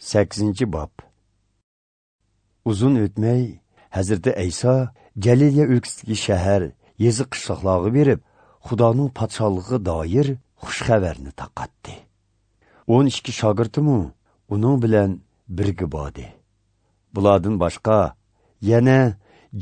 8 bob. Uzun o'tmay Hazrati Ayso Galiliya o'lkasidagi shahar, yezi qishloqlarga berib, Xudoning podshohligiga doir xush xabarni tarqatdi. 12 shogirdimi uning bilan birga bordi. Bulardan boshqa yana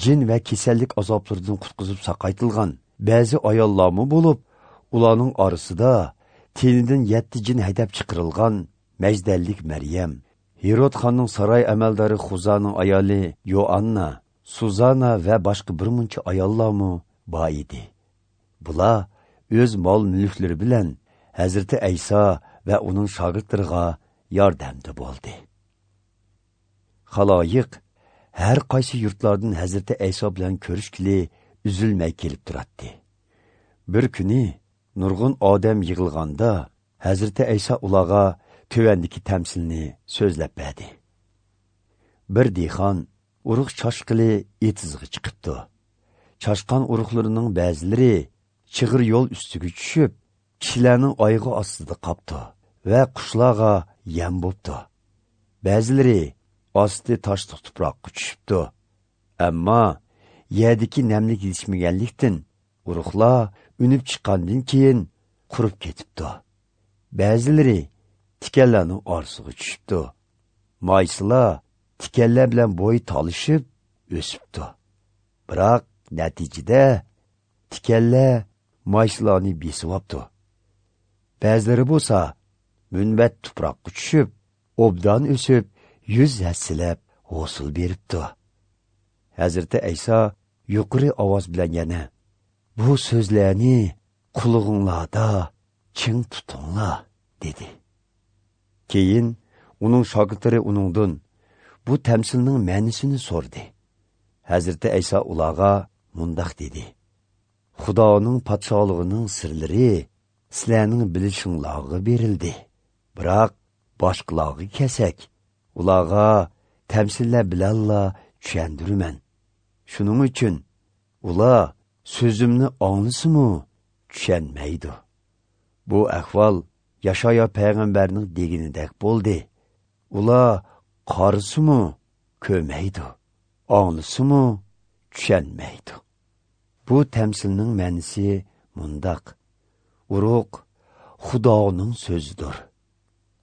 jin va kasallik azoblaridan qutqizib saqaytilgan ba'zi ayollarmi bo'lib, ularning orasida tenidan 7 jin haydab chiqarilgan Majdallik Maryam, Herod xonning saroy amaldori Xuzaning ayoli Yoanna, Suzana va boshqa bir muncha ayollarmi bor edi. Bular o'z mol-mulklari bilan Hazrati Ayso va uning shogirdlariga yordamda bo'ldi. Xaloyiq har qaysi yurtlardan Hazrati Ayso bilan ko'rishgili uzilmay kelib turadi. Bir kuni nurg'un odam yig'ilganda Hazrati Ayso ularga tövəndiki təmsilini so'zlab berdi. Bir dehqon urug' chashqili etizg'i chiqibdi. Chashqan urug'larining ba'zilari chig'ir yo'l ustiga tushib, kishilarning oyog'i ostida qopdi va qushlarga yem bo'pti. Ba'zilari osti toshliq tuproqqa tushibdi. Ammo yerdagi namlik yetishmaganlikdan urug'lar unib chiqqandan keyin qurib ketibdi. Ba'zilari tikanlarning orasiga tushibdi. Maysalar tikanlar bilan bo'y talishib o'sibdi. Biroq natijada tikanlar maysalarni besib. Ba'zilari bo'lsa munbat tuproqqa tushib, obdan o'sib, 100 hassilab hosil beribdi. Hazrati Ayso yuqori ovoz bilan yana: "Bu so'zlarni qulog'inglarda ching tutinglar" dedi. Keyin uning shogirdlari uningdan bu tamsilning ma'nosini so'radi. Hazrati Ayso ularga mundoq dedi: "Xudoning podshohligining sirlari sizlarning bilishinglarga berildi. Biroq boshqalarga kelsak, ularga tamsillar bilanla tushuntiraman. Shuning uchun ular so'zimni anglasimu tushunmaydi." Bu ahvol Yashaya payg'ambarning deganidek bo'ldi. Ular qarisimu ko'maydi, anglasimu tushunmaydi. Bu tamsilning ma'nosi mundoq: urug' Xudoning so'zidir.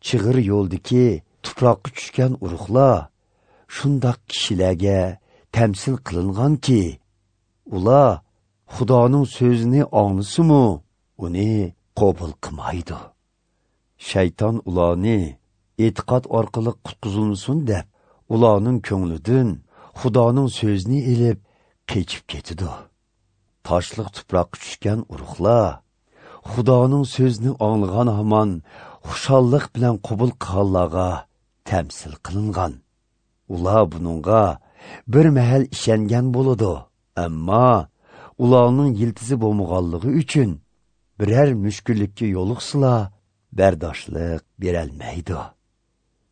Chig'ir yo'ldagi tuproqqa tushgan urug'lar shundoq kishilarga tamsil qilinganki, ular Xudoning so'zini anglasimu uni qabul qilmaydi. Shayton ularni e'tiqod orqali qutqizilsin deb, ularning ko'nglidan Xudoning so'zini elib qechib ketidi. Toshliq tuproqqa tushgan urug'lar Xudoning so'zini anglagan hamon xushallik bilan qabul qilganlarga tamsil qilingan. Ular buningga bir mahal ishongan bo'ladi, ammo ularning yiltizi bo'lmaganligi uchun biror mushkullikka yo'liqsalar bardoshlik berolmaydi.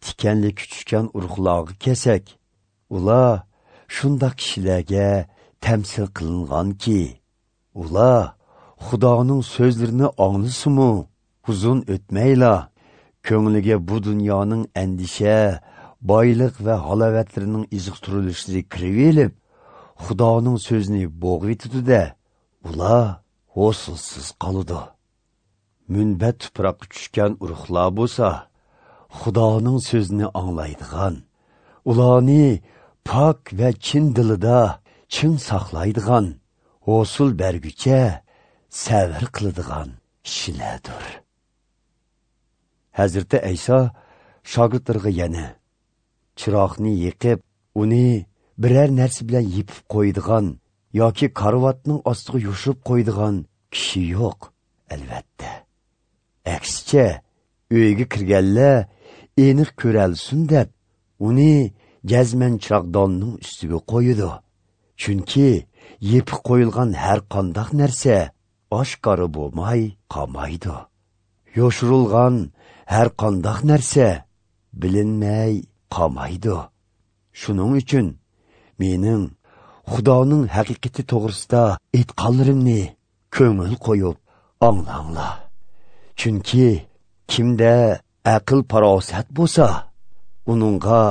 Tikanlik tushgan urug'larga kelsak, ular shundoq kishilarga tamsil qilinganki, ular Xudoning so'zlarini anglasimu uzun o'tmayla ko'ngliga bu dunyoning andisha, boylik va halovatlarining iziqtirilishlari kirib elib, Xudoning so'zini bo'g'ib-da, ular hosilsiz qoladi. Munbat tuproqqa tushgan urug'lar bo'lsa, Xudoning so'zini anglaydigan, ularni pok va chin dilida chin saqlaydigan, hosil bergucha sabr qiladigan kishilardir. Hazrati Ayso shogirdlariga yana: chiroqni yiqib, uni biror narsa bilan yipib qo'yadigan yoki karvatning ostiga yoshirib qo'yadigan kishi yo'q, albatta. Aksicha, uyga kirganlar aniq ko'ralsin deb, uni jazman chiroqdonning ustiga qo'yadi. Chunki yipib qo'yilgan har qanday narsa oshkora bo'lmay qolmaydi. Yoshirilgan har qanday narsa bilinmay qolmaydi. Shuning uchun mening Xudoning haqiqati to'g'risida aytganlarimni ko'ngil qo'yib anglanglar. Chunki kimda aql farosat bo'lsa, uningga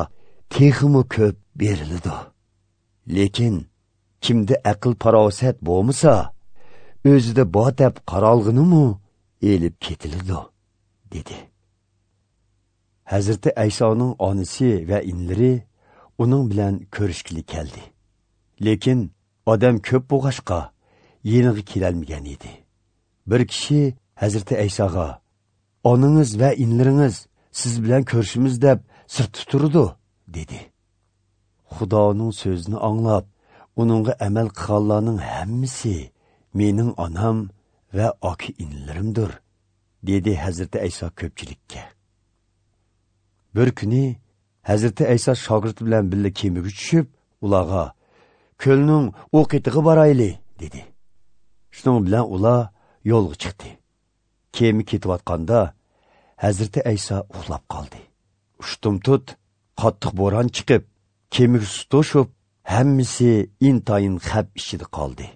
texmi ko'p beriladi. Lekin kimda aql farosat bo'lmasa, o'zida bor deb qaralg'inimi elib ketiladi, dedi. Hazrati Aysoning onasi va inlari uning bilan ko'rishgili keldi. Lekin odam ko'p bo'lg'achqa yeniga kelolmagan edi. Bir kishi Hazrati Aysoga: "Onangiz va inlaringiz siz bilan ko'rishimiz deb sirtda turdi", dedi. Xudoning so'zini anglab, uningga amal qilganlarning hammasi mening onam va aka inlarimdir, dedi Hazrati Ayso ko'pchilikka. Bir kuni Hazrati Ayso shogirdi bilan birga kemaga tushib, ularga: "Ko'lning u qetig'i borayli", dedi. Shuning bilan ular yo'lga chiqdi. Kema ketayotganda Hazrati Ayso uxlab qoldi. Ushtum-tut qattiq bo'ron chiqib, kemaga suv to'shib, hammasi intayin xavf ichida qoldi.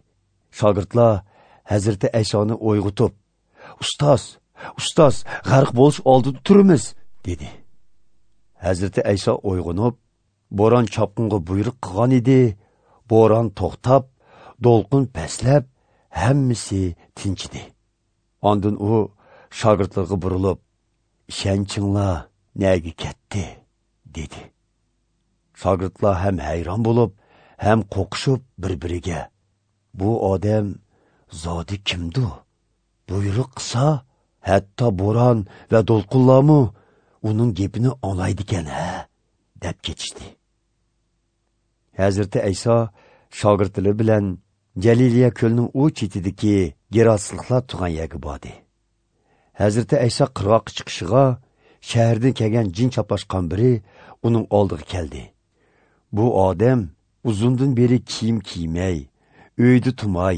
Shogirdlar Hazrati Aysoni uyg'otib, "Ustoz, ustoz, g'arq bo'lish oldida turimiz", dedi. Hazrati Ayso uyg'onib, bo'ron chopqinga buyruq qilgan edi. Bo'ron to'xtab, to'lqin pastlab, hammasi tinchidi. Ondan u shogirdlarga burilib, "Ishonchinglar nega ketdi?" dedi. Shogirdlar ham hayron bo'lib, ham qo'rqishib bir-biriga: "Bu odam zodi kimdi? Buyruq qilsa, hatto bo'ron va to'lqinlarmi uning gapini anglaydi ekan, ha?" deb ketishdi. Hazrati Ayso shogirdlari bilan Jaliliya ko'lining u chetidagi Gerasliklar turgan yerga bordi. Hazrati Ayso qirg'oqqa chiqishiga shahardan kelgan jin chaplashgan biri uning oldiga keldi. Bu odam uzundan beri kiyim kiymay, uyda tumay,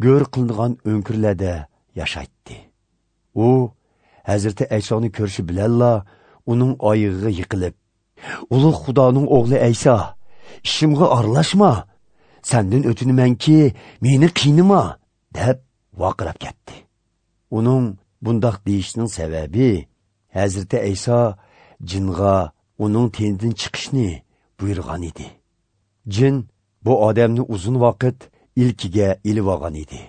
go'r qilingan o'nkirlarda yashaydi. U Hazrati Aysoni ko'rishi bilanla uning oyog'iga yiqilib, "Ulug' Xudoning o'g'li Ayso, ishimga aralashma, sendan o'tinamanki, meni qiynama", deb vaqirab ketdi. Uning bundoq deyishining sababi Hazrati Ayso jinga uning tenidan chiqishni buyurgan edi. Jin bu odamni uzun vaqt ilkiga ilib olgan edi.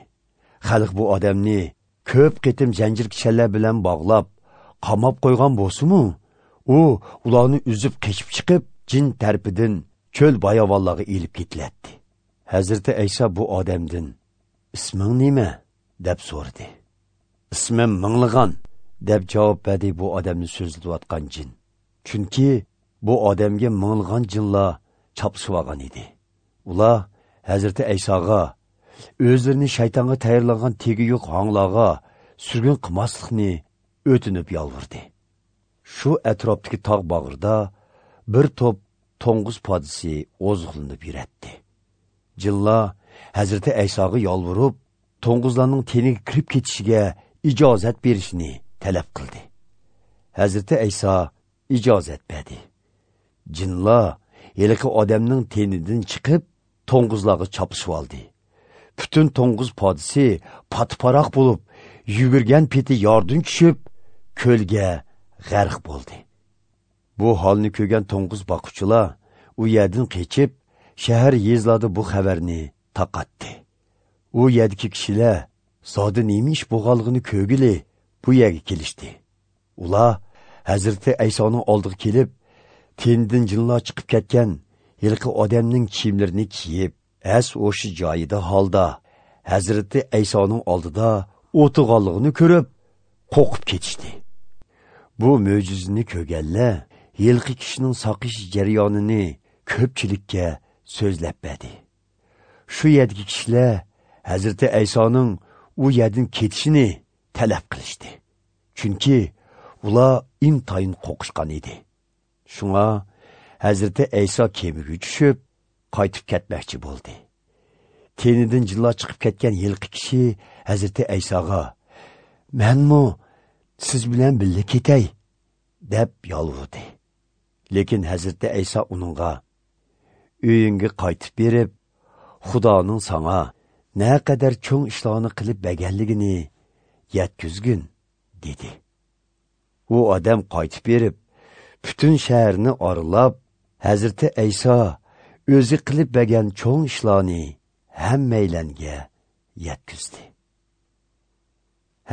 Xalq bu odamni ko'p qitim zanjir kishanlar bilan bog'lab, qamab qo'ygan bo'lsa-mu, u ularni uzib qechib chiqib, jin tarafidan cho'l bayovonlarga ilib ketilatdi. Hazrati Ayso bu odamdan: "Isming nima?" deb so'radi. "Ismim Minglig'an", deb javob berdi bu odamni so'zlayotgan jin. Chunki bu odamga minglig'an jinlar chapishib olgan edi. Ular Hazrati Aysoga o'zlarini shaytonga tayyorlangan tegi yo'q hanglarga surgun qilmaslikni o'tinib yolvordi. Shu atrofdagi tog' bag'rida bir to'p to'ng'iz podisi oziqlanib yuratdi. Jinlar Hazrati Aysoga yolvorib, to'ng'izlarning teniga kirib ketishiga ijozat berishni talab qildi. Hazrati Ayso ijozat berdi. Jinlar yilqi odamning tenidan chiqib, to'ng'izlarga chopishib oldi. Butun to'ng'iz podisi patparoq bo'lib, yugurgan peti yordan tushib, ko'lga g'arq bo'ldi. Bu holni ko'rgan to'ng'iz boquvchilar u yerdan qechib, shahar yezlarda bu xabarni tarqatdi. U yerdagi kishilar zodi nima ish bo'lganligini ko'rgili bu yerga kelishdi. Ular Hazrati Aysoning oldiga kelib, tenidan jinlar chiqib ketgan yilqi odamning kiyimlarini kiyib, as o'sha joyida holda Hazrati Aysoning oldida o'tirganligini ko'rib, qo'rqib ketishdi. Bu mo'jizani ko'rganlar yilqi kishining soqish jarayonini ko'pchilikka so'zlab berdi. Shu yerdagi kishilar Hazrati Aysoning u yerdan ketishini talab qilishdi. Chunki ular intayin qo'rqishgan edi. Shunga Hazrati Ayso kemaga tushib, qaytib ketmoqchi bo'ldi. Tenidan jinlar chiqib ketgan yilqi kishi Hazrati Aysoga: "Menmi siz bilan birga ketay?" deb yolvordi. Lekin Hazrati Ayso uningga: "Uyingga qaytib berib, Xudoning sana naqadar cho'ng ishlarni qilib berganligini yetkazgin", dedi. U odam qaytib berib, Butun shaharni oralab, Hazrati Ayso o'zi qilib bergan cho'ng ishlarni hammaylanga yetkazdi.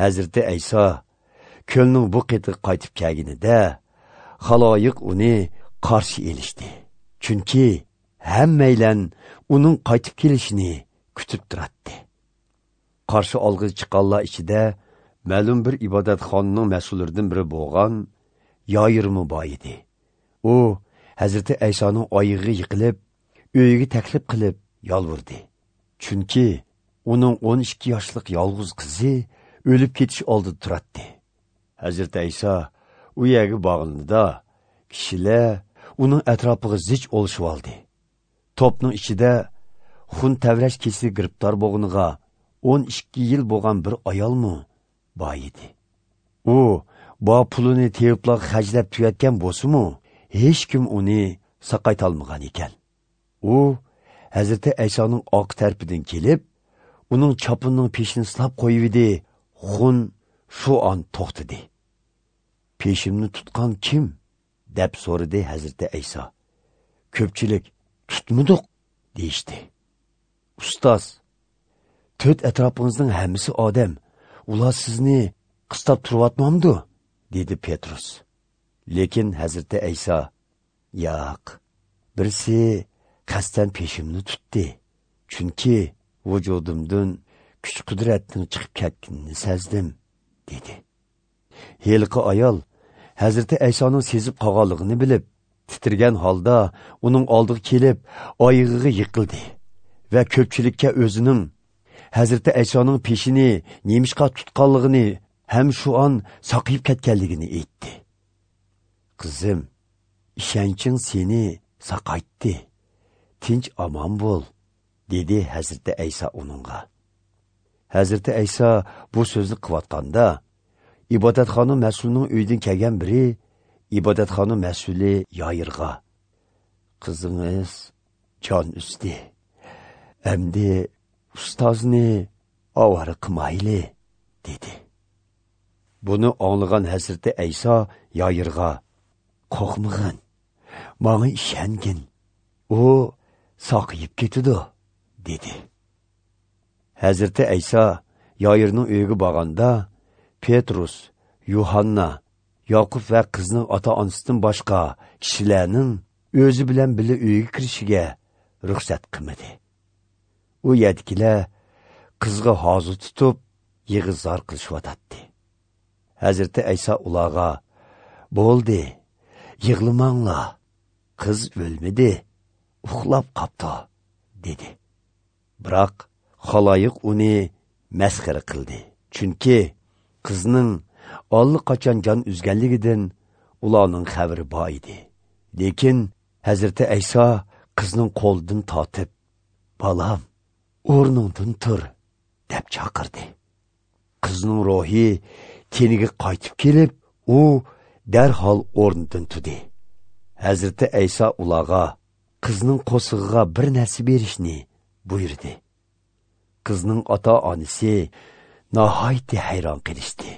Hazrati Ayso ko'lning bu qetiga qaytib kelganida, xaloyiq uni qarshi elishdi. Chunki hammaylan uning qaytib kelishini kutib turardi. Qarshi olg'ich chiqqanlar ichida ma'lum bir ibodatxonaning mas'ullaridan biri bo'lgan Yoyirmi bor edi. U Hazrati Aysoning oyog'iga yiqilib, uyiga taklif qilib yolvordi. Chunki uning 12 yoshlik yolg'iz qizi o'lib ketish oldida turardi. Hazrati Ayso u yerga borganida kishilar uning atrofiga zich olishib oldi. To'pning ichida xun tavrash kesiliga giribtor bo'lganiga 12 yil bo'lgan bir ayolmi bor edi. U bo pulini teviblarga xarjlab tugatgan bo'lsa-mu, hech kim uni saqaytolmagan ekan. U Hazrati Aysoning oq tarafidan kelib, uning chopinining peshini silab qo'yib edi. Xun shu on to'xtadi. Peshimni tutgan kim? Deb so'radi Hazrati Ayso. Ko'pchilik tutmadik deyishdi. Ustoz, to'rt atrofingizning hammasi odam, ular sizni qistab turyotmamdi? Dedi Petrus. Lekin Hazrati Ayso, yo'q, birisi qasddan peshimni tutdi, chunki vujudimdan kuch qudratning chiqib ketganini sezdim, dedi. Heliqi ayol Hazrati Aysoning sezib qolganligini bilib, titrgan holda uning oldiga kelib, oyog'iga yiqildi va ko'pchilikka o'zining Hazrati Aysoning peshini nemishqa tutganligini ham shu on saqiyib ketganligini aytdi. Qizim, ishonching seni saqaytdi. Tinch omon bo'l, dedi Hazrati Ayso uningga. Hazrati Ayso bu so'zni qilayotganda, ibodatxona mas'ulining uyidan kelgan biri ibodatxona mas'uli Yoyirga: "Qizingiz jon uzdi. Endi ustozni ovora qilmayli", dedi. Buni anglagan Hazrati Ayso Yoyirga: "Qo'rqmag'in, menga ishongin. U saqiyib ketadi", dedi. Hazrati Ayso Yoyirning uyiga borganda, Petrus, Yuhanna, Yoqub va qizning ota-onasidan boshqa kishilarning o'zi bilan birga uyga kirishiga ruxsat qilmadi. U yerdagilar qizga hozir tutib, yig'izor qilishyotdi. Hazrati Ayso ularga: "Bo'ldi, yig'lamanglar. Qiz o'lmadi, uxlab qopti", dedi. Biroq xaloyiq uni masxara qildi. Chunki qizning allaqachon jon uzganligidan ularning xabari bor edi. Lekin Hazrati Ayso qizning qo'lidan tortib, "Bolam, o'rningdan tur", deb chaqirdi. Qizning ruhi teniga qaytib kelib, u darhol o'rnidan turdi. Hazrati Ayso ularga qizning qo'sig'iga bir narsa berishni buyurdi. Qizning ota-onasi nihoyatda hayron qilishdi.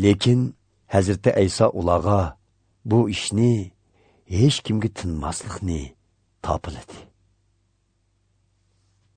Lekin Hazrati Ayso ularga bu ishni hech kimga tinmaslikni topiladi.